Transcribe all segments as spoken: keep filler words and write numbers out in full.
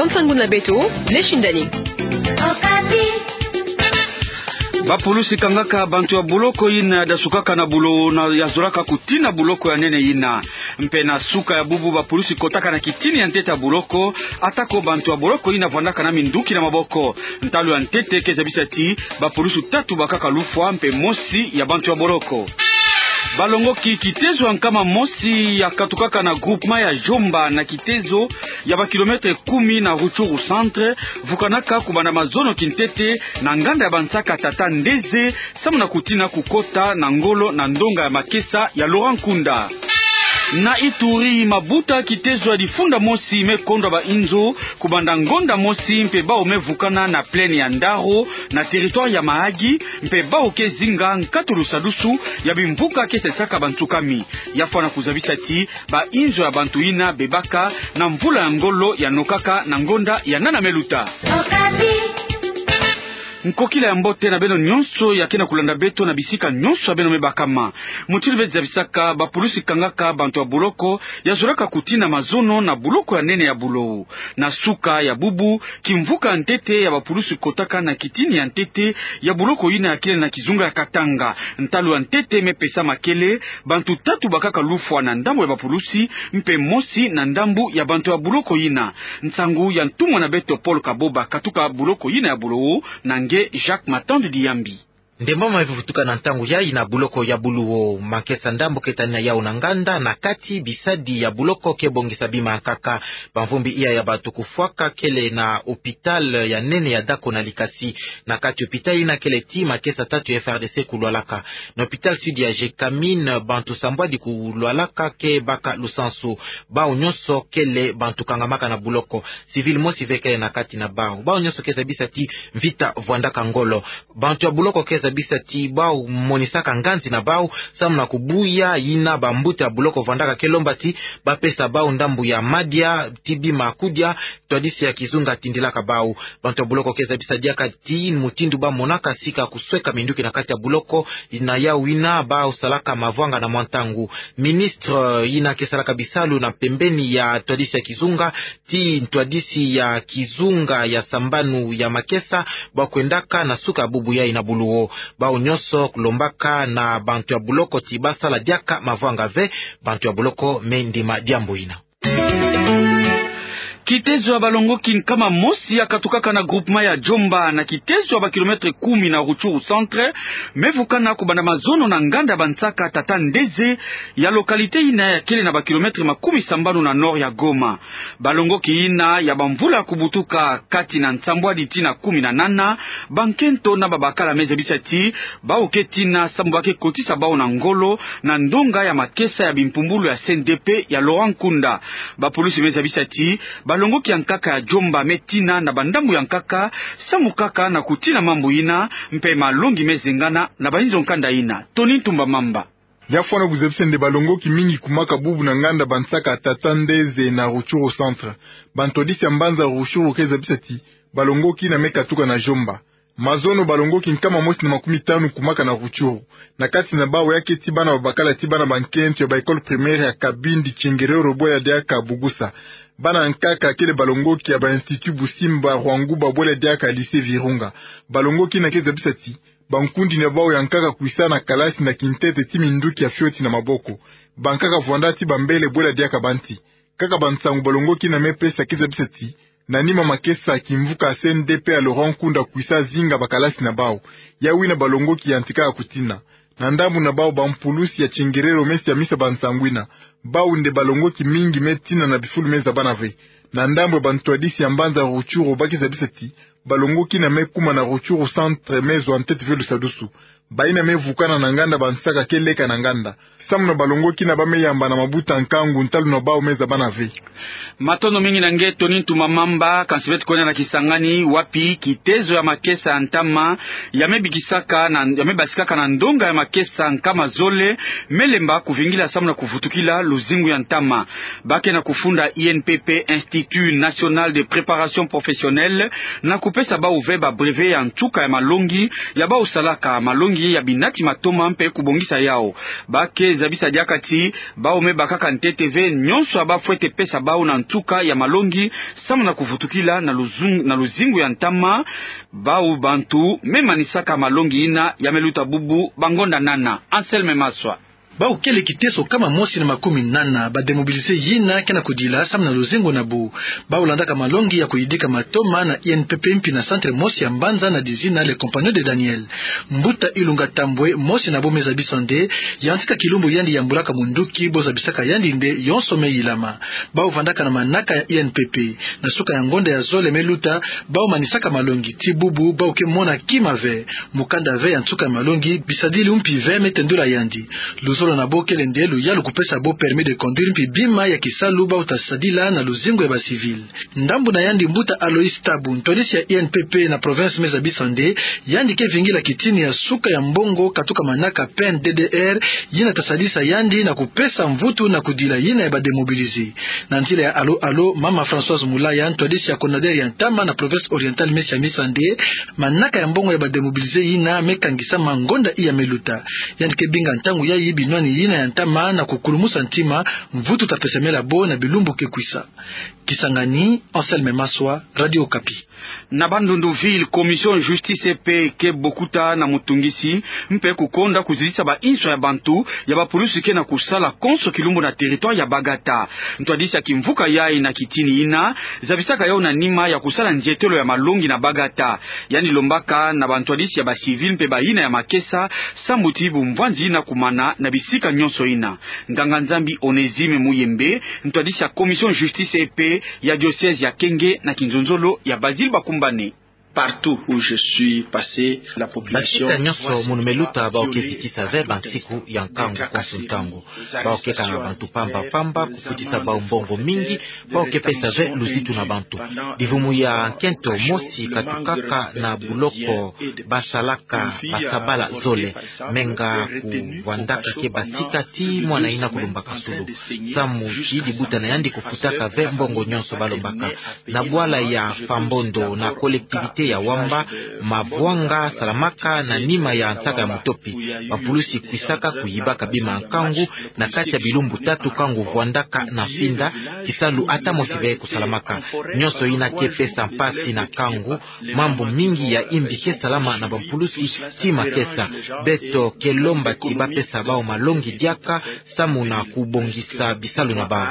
Nsangu na beto, Lechindani. Bapulusi kangaka bantu ya boloko yina yadasukaka na bulo na yazolaka kutina boloko ya nene yina. Mpe na suka ya bubu bapulusi kotaka na kitini ya ntete ya boloko, atako bantu ya boloko yina vwandaka na minduki na maboko. Ntalu ya ntete ke zabisa ti bapulusi tatu bakaka lufwa mpe mosi ya bantu ya boloko. Balongoki kitezo ya nkama mosi yakatukaka na groupement ya Djomba na kitezo ya ba kilomètre kumi na Rutshuru centre, vukanaka kubanda mazono kintete na nganda ya bansaka tata Ndeze, samu na kutina kukota na ngolo na ndonga ya makesa ya Laurent Nkunda. Na Ituri, mabuta kitezo ya difunda mosi mekondwa ba inzo kubanda ngonda mosi mpe bawu mevukana na plaine ya Ndaro na territoire ya Mahagi, mpe bawu ke zinga nkatu lusadusu ya bimvuka ke sesaka bantu kami. Ya fwana kuzabisa ti ba inzo ya bantu yina bebaka na mvula ya ngolo yanokaka na ngonda ya nana meluta. Nkokila ya mbote na beno nyonso ya ke na kulanda beto na bisika nyonso ya beno mebakama. Mutindu beti zabisaka, bapulusi kangaka bantu ya boloko yazolaka kutina mazono na boloko ya nene ya bulo. Na suka ya bubu, kimvuka ya ntete ya bapulusi kotaka na kitini ya ntete ya boloko yina ya kele na kizunga ya Katanga. Ntalu ya ntete mepesa makele, bantu tatu bakaka lufwa na ndambu ya bapulusi, mpe mosi na ndambu ya bantu ya boloko yina. Nsangu ya ntumwa na beto Paul Kaboba katuka boloko yina ya Bulowo, na nge Jacques Matandi Diyambi. Ndembo ma mevutuka na ntangu yayi na boloko ya Bulowo, makesa ndambu ke tanina yawu na nganda, na kati bisadi ya boloko ke bongisa bima nkaka. Bamvumbi iya ya bantu kufwaka kele na hôpital ya nene ya Dako na Likasi. Na kati hôpital yina kele ti makesa tatu ya F R D C kulwalaka. Na hôpital sud ya Gécamines, bantu sambwadi kulwalaka ke baka lusansu. Bawu nyonso kele bantu kangamaka na boloko. Civil mosi ve kele na kati na bawu. Bawu nyonso ke zabisa ti mvita vwandaka ngolo. Bantu ya boloko ke zabisa ti bawu monisaka nganzi na bawu samu na kubuya yina bambuta ya boloko vwandaka, ke lomba ti bapesa bawu ndambu ya madia, ti bima kudia, ntwadisi ya kizunga tindilaka bawu. Bantu ya boloko ke zabisa diaka ti mutindu bamonaka sika kusweka minduki na kati ya boloko, na yawu yina bawu salaka mavwanga na mwa ntangu. Ministre yina ke salaka bisalu na pembeni ya ntwadisi ya kizunga, ti ntwadisi ya kizunga ya sambanu ya makesa, bawu kwendaka na suka ya bubu yayi na Bulowo. Bawu nyonso kulombaka na bantu ya boloko ti basala diaka mavwanga ve, bantu ya boloko me ndima diambu yina. Kitezo ya balongoki nkama mosi yakatukaka na groupement ya Djomba na kitezo ya ba kilomètre kumi na Rutshuru centre, mevukana kubanda mazono na nganda ya bansaka tata Ndeze, ya localité yina ya kele na ba kilomètre makumi sambanu na nord ya Goma. Balongoki yina ya bamvula kubutuka kati na nsambwadi tii na kumi na nana, bankento na babakala me zabisa ti bawu ke tina samu ba ke kotisa bawu na ngolo na ndonga ya makesa ya bimpumbulu ya C N D P ya Laurent Nkunda. Bapulusi me zabisa ti balongoki ya nkaka ya Djomba me tina na bandambu ya nkaka, samu kaka na kutina mambu yina, mpe malongi me zengana na bainzo nkanda yina. Tony Ntumba Mamba. Ya fwana kuzabisa nde balongoki mingi kumaka bubu na nganda bansaka tata Ndeze na Rutshuru centre. Bantwadisi ya mbanza Rutshuru ke zabisa ti balongoki yina me katuka na Djomba. Mazono balongoki nkama mosi na makumi tanu kumaka na Rutshuru. Na kati na bawu ya ke ti bana babakala ti bana bankento ya ba école primaire ya Kabindi, Chengerero bwela diaka Bugusa. Bana nkaka kele balongoki ya ba institut Busimba, Rwanguba bwela diaka lycée Virunga. Balongoki yina ke zabisa ti bankundi na bawu ya nkaka kwisa na kalasi na kintete ti minduki ya fioti na maboko. Bankaka vwanda ti bambele bwela diaka banti. Kaka bansangu balongoki yina me pesa ke zabisa ti na nima makesa, kimvuka C N D P ya Laurent Nkunda kwisa zinga bakalasi na bawu. Yawu yina balongoki yantikaka kutina. Na ndambu na bawu, bampulusi ya Chengerero me siamisa bansangu yina. Bawu nde balongoki mingi me tina na bifulu me zabana ve. Na ndambu ya bantwadisi ya mbanza Rutshuru, ba ke zabisa ti balongoki yina me kuma na Rutshuru centre me zwa ntete ve lusadusu. Bayina me vukana na nganda bansaka ke leka na nganda. Samu na balongoki yina ba me yamba na mabuta nkangu, ntalu na bawu me zabana ve. Matondo mingi na nge Tony Ntumba Mamba. Kansi beto kwenda na Kisangani, wapi kitezo ya makesa ya ntama ya me bikisaka na, ya me basikaka na ndonga ya makesa nkama zole me lemba kuvingila samu na kuvutukila luzingu ya ntama. Ba ke na kufunda I N P P, Institut National de Préparation Professionnelle, na kupesa bawu ve ba brevet ya nsuka ya malongi ya bawu salaka, malongi ya binati matoma mpe kubongisa yawu. Ba ke Zabisa diaka ti bau me bakaka ntete ve nyonso ya bafwete pesa bau na nsuka ya malongi, samu na kuvutukila na luzung-, na luzingu ya ntama, bau bantu me manisaka malongi yina ya me luta bubu bangonda nana. Anselme Maswa. Bau kele kiteso kama mosi na makumi nana ba démobilisés yina ke na kudila samu na luzingu na bau. Bau landaka malongi ya kuyidika matoma na I N P P mpi na centre mosi ya mbanza na dizina Les Compagnons de Daniel. Mbuta Ilunga Tambwe, mosi na bau me zabisa nde, yantika kilumbu yandi yambulaka munduki, bo zabisaka yandi nde yonso me yilama. Bau vandaka na manaka ya I N P P. Na suka ya ngonda ya zole me luta, bau manisaka malongi, ti bubu bau ke mona kima ve. Mukanda ve ya nsuka ya malongi, bisadili mpi ve me tendula yandi. Luzolo na bau kele nde luyalu kupesa bau permis de conduire mpi bima ya kisalu bau ta sadila na luzingu ya ba civils. Ndambu na yandi, mbuta Aloïs Tabu, ntwadisi ya I N P P na province me zabisa nde, yandi ke vingila kitini ya suka ya mbongo katuka manaka P N D D R, yina ta sadisa yandi na kupesa mvutu na kudila yina ya ba démobilisés. Na nzila ya alo-alo, mama Françoise Mulaya, ntwadisi ya CONADER ya ntama na province orientale me siamisa nde, manaka ya mbongo ya ba démobilisés yina me kangisa ma ngonda iya me luta. Yandi ke binga ntangu yayi binwani yina ya ntama na kukulumusa ntima, mvutu ta pesamela bau na bilumbu ke kwisa. Kisangani, Anselme Maswa, Radio Okapi. Na Bandundu-Ville, Commission Justice et Paix ke bokuta na mutungisi mpe kukonda kuzitisa ba inswa ya bantu ya ba pulusi ke na kusala konso kilumbu na territoire ya Bagata. Ntwadisi ya kimvuka yayi na kitini yina zabisaka yawu na nima ya kusala nzietelo ya malongi na Bagata. Yandi lombaka na bantwadisi ya ba civils mpe bayina ya makesa, sambu ti bumvwanzi yina kumana na bisika nyonso yina. Nganga-Nzambi Onésime Muyembe, ntwadisi ya Commission Justice et Paix ya diocèse ya Kenge, na kinzonzolo ya Basile Bakumbane. Partout où je suis passé, la population... Basika nyonso munu me luta, bau ke zitisa ve bansiku ya nkangu konso ntangu. Bau ke kanga bantu pamba-pamba, kufutisa bau mbongo mingi, bau ke pesa ve luzitu na bantu. Livumu ya nkento mosi katukaka na buloko basalaka basabala zole. Menga kuvwandaka ke basika ti mwana yina kulumbaka sulu. Samu ti libuta na yandi kufutaka ve mbongo nyonso balombaka. Na bwala ya Fambondo, na collectivité ya Wamba, mavwanga salamaka na nima ya nsaka ya mutopi. Bapulusi kwisaka kuyibaka bima nkangu na kati ya bilumbu tatu, nkangu vwandaka na finda, kisalu ata mosi ve kusalamaka. Nyonso yina ke pesa mpasi na nkangu, mambu mingi ya imbi ke salama na bampulusi ti makesa. Beto ke lomba ti bapesa bau malongi diaka, samu na kubongisa bisalu na bau.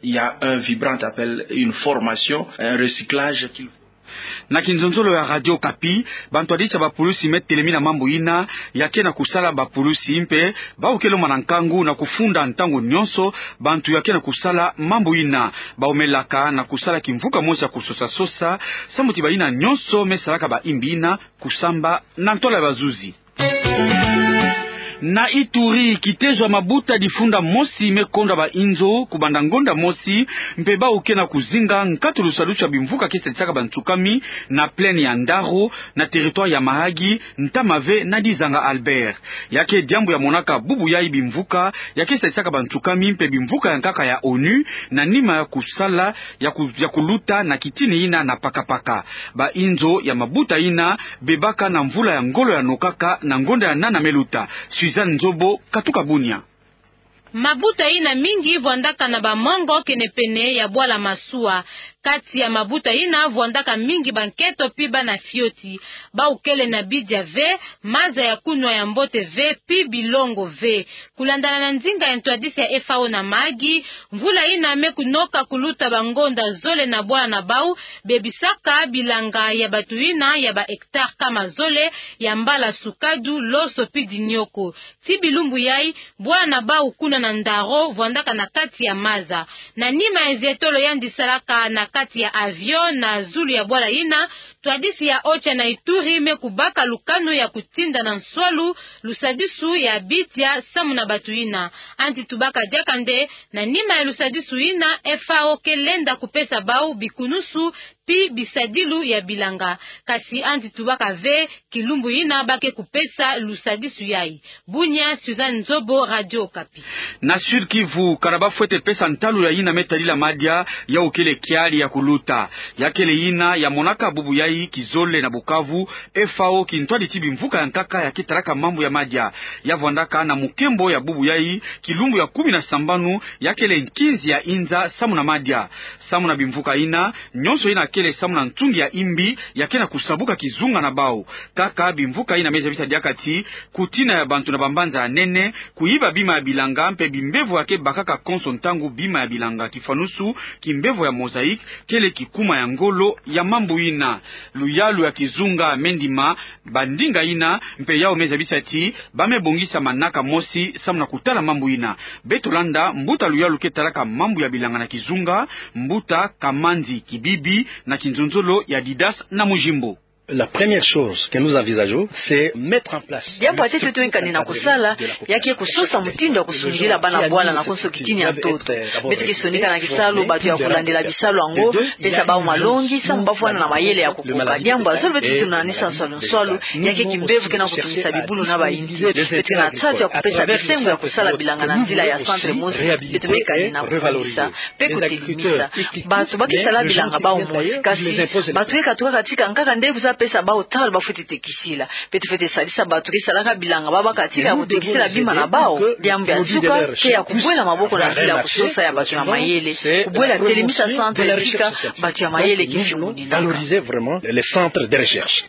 Il y a un vibrant appel, une formation, un recyclage qu'il... Na kinzonzolo ya Radio Okapi, bantwadisi ya bapulusi me telemina mambu yina ya ke na kusala bapulusi mpe bau ke lomba na nkangu na kufunda ntangu nyonso bantu ya ke na kusala mambu yina. Bau me laka na kusala kimvuka mosi ya kusosa-sosa, samu ti bayina nyonso me salaka ba imbi yina kusamba na ntola ya bazuzi. Na Ituri, kitezo ya mabuta difunda mosi me konda ba inzo kubanda ngonda mosi, mpe bau ke na kuzinga nkatu lusadusu ya bimvuka ke sadisaka bantsukami na plaine ya Ndaro, na territoire ya Mahagi, ntama ve na Dizanga Albert. Ya ke diambu ya monaka bubu yayi bimvuka ya ke sadisaka bantsukami mpe bimvuka ya nkaka ya onu, na nima ya kusala ya ku-, ya kuluta na kitini yina na paka-paka. Ba inzo ya mabuta yina bebaka na mvula ya ngolo ya nokaka na ngonda ya nana me luta. Suzanne Nzobo, katuka Bunia. Mabuta yina mingi vwandaka na ba mongo kenepene ya bwala masuwa. Kati ya mabuta yina vwandaka mingi bankento pi bana fioti. Bau kele na bidia ve, maza ya kunwa ya mbote ve, pi bilongo ve. Kulandana na nzinga ya ntwadisi ya F A O na Mahagi, mvula yina me kunoka kuluta bangonda zole na bwala na bau bebisaka bilanga ya batu yina ya ba hectare kama zole ya mbala sukadu, loso pi dinioko. Ti bilumbu yayi, bwala na bau kuna na Ndaro vwandaka na kati ya maza. Na nima ya zietolo yandi salaka na kati ya avion na zulu ya bwala yina, ntwadisi ya Ocha na Ituri me kubaka lukanu ya kutinda na nswalu lusadisu ya bidia samu na batu yina. Andi tubaka diaka nde, na nima ya lusadisu yina, F A O ke lenda kupesa bau bikunusu pi bisadilu ya bilanga. Kasi andi tubaka ve kilumbu yina ba ke kupesa lusadisu yayi. Bunia, Suzanne Nzobo, Radio Okapi. Na Sud-Kivu, kana ba fwete pesa ntalu ya yina me tadila madia, yawu kele kiadi ya kuluta. Ya kele yina ya monaka bubu yayi kizole na Bukavu, F A O kintwadi ti bimvuka ya nkaka ya ke talaka mambu ya madia. Ya vwandaka na mukembo ya bubu yayi, kilumbu ya kumi na sambanu, ya kele nkinzi ya inza samu na madia. Samu na bimvuka yina, nyonso yina kele samu na ntungi ya imbi, ya ke na kusabuka kizunga na bawu. Kaka bimvuka yina me zabisa diaka ti, kutina ya bantu na bambanza ya nene, kuyiba bima ya bilanga mpe bimbevo ya ke bakaka konso ntangu bima ya bilanga, kifanusu, kimbevo ya mosaïque, kele kikuma ya ngolo ya mambu yina. Luyalu ya kizunga me ndima bandinga yina, mpe yawu me zabisa ti ba me bongisa manaka mosi samu na kutala mambu yina. Beto landa mbuta luyalu ke talaka mambu ya bilanga na kizunga, mbuta Kamanzi Kibibi, na kinzonzolo ya Didas na Mujimbo. La première chose que nous envisageons, c'est mettre en place. Diambu ya ntete tuwekani na kusala, ya ke kusosa mutindu ya kusungidila bana bwala na konso kitini ya ntoto. Beto ke sonika na kisalu bantu ya kulandila bisalu yango, pesa bawu malongi, samu ba fwana na mayele ya kukoka. Diambu ya zole beto ke tunanisa nswalu nswalu, ya ke kimbevo ke na kutungisa bibulu na bayinsi. Beto ke na nsatu ya kupesa bisengo ya kusala bilanga na nzila ya centre mosi, beto me kani na kukanisa mpe kutelimisa. Bantu ba ke sala bilanga bawu mosi, kasi bantu ke katuka katika nkaka nde kwiza pesa bawu tala ba fwete tekisila. Beto fwete sadisa bantu ke salaka bilanga ba baka tika kutekisila bima na bawu. Diambu ya nsuka ke ya kubwela maboko na nzila ya kusosa ya bantu ya mayele, kubwela telemisa centre tika bantu ya mayele ke fungudinaka. Valoriser vraiment les centres de recherche.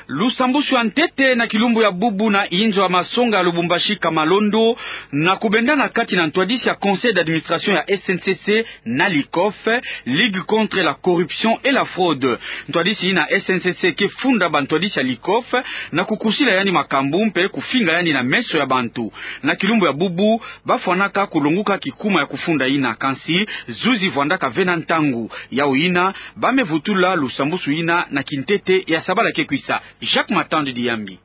Lusambusu ya ntete na kilumbu ya bubu na inzo ya masonga ya Lubumbashi Kamalondo, na kubendana kati na ntwadisi ya conseil d'administration ya S N C C na LICOF, Ligue contre la corruption et la fraude. Ntwadisi yina S N C C ke funda bantwadisi ya LICOF na kukusila yandi makambu mpe kufinga yandi na meso ya bantu. Na kilumbu ya bubu, ba fwanaka kulonguka kikuma ya kufunda yina, kansi zuzi vwandaka ve na ntangu. Yawu yina, ba me vutula lusambusu yina na kintete ya sabala ke kwisa. Jacques Matandi Diyambi.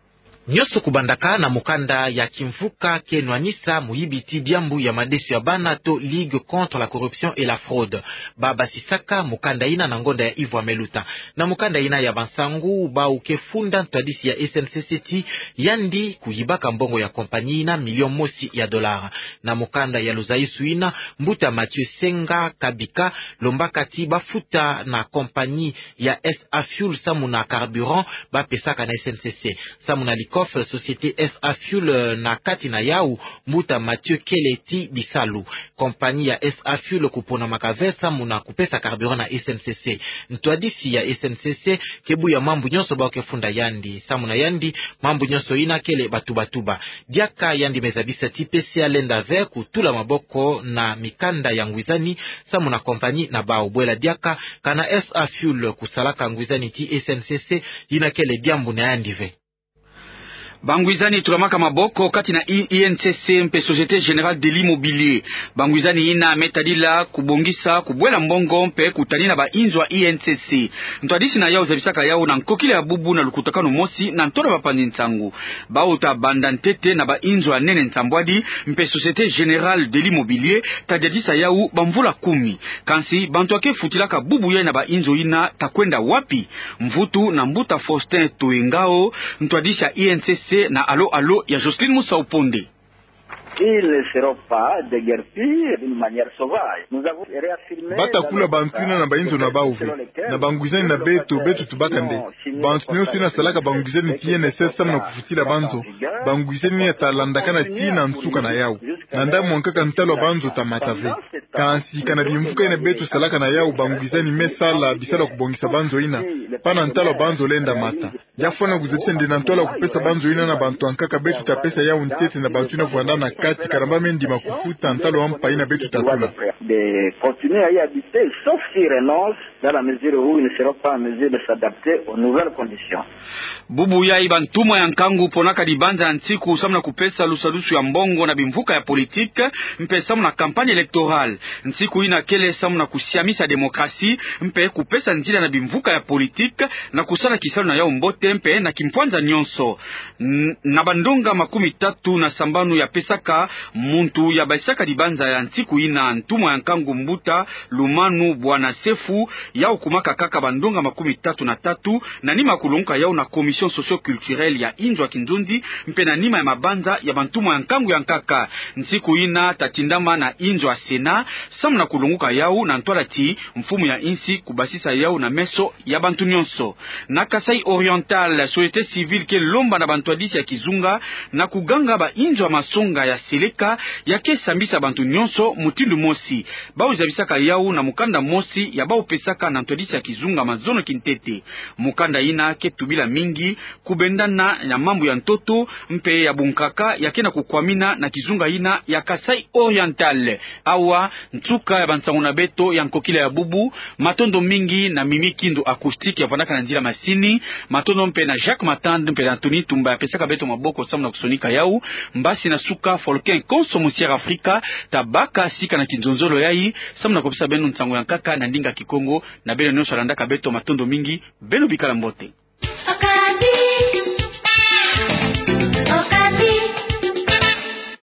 Nyonso kubandaka na mukanda ya kimvuka ke nwanisa muyibiti diambu ya madesu ya bana to Ligue contre la corruption et la fraude. Ba basisaka mukanda yina na ngonda ya Yves Wameluta. Na mukanda yina ya bansangu, bawu ke funda ntwadisi ya S N C C ti yandi kuyibaka mbongo ya compagnie yina million mosi ya dollar. Na mukanda ya luzayisu yina, mbuta Mathieu Senga Kabika lombaka ti ba futa na compagnie ya S A Fuel samu na carburant ba pesaka na S N C C. Samu na LICOF, société S A Fuel, eh, na kati na yawu, mbuta Mathieu kele ti bisalu. Compagnie ya S A Fuel kuponamaka ve samu na kupesa carburant na S N C C. Ntwadisi ya S N C C ke buya mambu nyonso bawu ke funda yandi. Samu na yandi, mambu nyonso yina kele ba tuba-tuba. Diaka yandi me zabisa ti P C A lenda ve kutula maboko na mikanda ya ngwizani samu na compagnie na bawu. Bwela diaka, kana S A Fuel kusalaka ngwizani ti S N C C, yina kele diambu na yandi ve. Bangwizani tulamaka maboko kati na I-, I N C C mpe Société Générale de l'Immobilier. Bangwizani yina me tadila kubongisa, kubwela mbongo mpe kutanina bainzo ya I N C C. Ntwadisi na yawu zabisaka yawu na nkokila ya bubu na lukutakanu mosi na ntwala bapanzi nsangu. Bawu ta banda ntete na bainzo ya nene nsambwadi, mpe Société Générale de l'Immobilier ta diadisa yawu bamvula kumi. Kansi bantu ya ke futilaka bubu yayi na bainzo yina ta kwenda wapi? Mvutu na mbuta Faustin Toengao, ntwadisi ya I N C C na Alo Alo ya Jocelyne Musau Ponde. Ils ne seront pas déguerpis d'une manière sauvage. Nous avons réaffirmé dans notre... Ba ta kula bantu yina na bainzo na bawu ve. Na bangwizani na beto, beto tubaka nde, bantu nyonso yina salaka bangwizani ti I N S S samu na kufutila banzo, bangwizani yina ta landakana tii na nsuka na yawu. Na ndambu mwa nkaka ntalu ya banzo ta mata ve. Kansi kana bimvuka yina beto salaka na yawu, bangwizani me sala bisalu ya kubongisa banzo yina, pana ntalu ya banzo lenda mata. Ya fwana kuzabisa nde na ntwala kupesa banzo yina na bantu ya nkaka, beto ta pesa yawu ntete na bantu yina vwanda na kati, kana ba me ndima kufuta ntalu ya mpa yina beto ta tula. De continuer à y habiter, sauf s'ils renoncent, dans la mesure où ils ne seront pas en mesure de s'adapter aux nouvelles conditions. Bubu yayi bantumwa ya nkangu ponaka dibanza ya nsiku samu na kupesa lusadusu ya mbongo na bimvuka ya politique, mpe samu na campagne électorale. Nsiku ina kele samu na kusiamisa démocratie mpe kupesa nzila na bimvuka ya politique na kusala kisalu na yau mbote mpe na kimpwanza nyonso. N-, na bandonga makumi tatu na sambanu ya pesaka, muntu ya basisaka dibanza ya nsiku ina, ntumwa ya nkangu mbuta Lumanu Bwana Sefu, yau kumaka kaka bandonga makumi tatu na tatu, na nima kulonguka yau na commission socio-culturelle ya inzo ya kinzonzi, mpe na nima ya mabanza ya bantumwa ya nkangu ya nkaka. Nsiku ina tatindama na inzo ya Sénat, samu na kulonguka yau na ntwala ti mfumu ya insi kubasisa yau na meso ya bantu nyonso. Na Kasaï Oriental, société civile ke lomba na bantwadisi ya kizunga na kuganga ba inzo ya masonga ya seleka ya ke sambisa bantu nyonso mutindu mosi. Bau zabisaka yau na mukanda mosi ya bau pesaka na ntwadisi ya kizunga mazono kintete. Mukanda ina ke tubila mingi kubendana na mambu ya ntoto mpe ya bunkaka ya ke na kukwamina na kizunga ina ya Kasaï Oriental. Awa nsuka ya bansangu na beto ya nkokila ya bubu. Matondo mingi na Mimi Kindu Acoustique ya vandaka na nzila masini. Matondo mpe na Jacques Matand mpe na Anthony Tumba ya pesaka beto maboko samu na kusonika yau. Mbasi na suka, Folkin Konso, Musière Afrika, tabaka sika na kinzonzolo yai samu na kupesa beno nsangu ya nkaka na ndinga Kikongo. Na beno nyonso landaka beto, matondo mingi. Beno bikala mbote.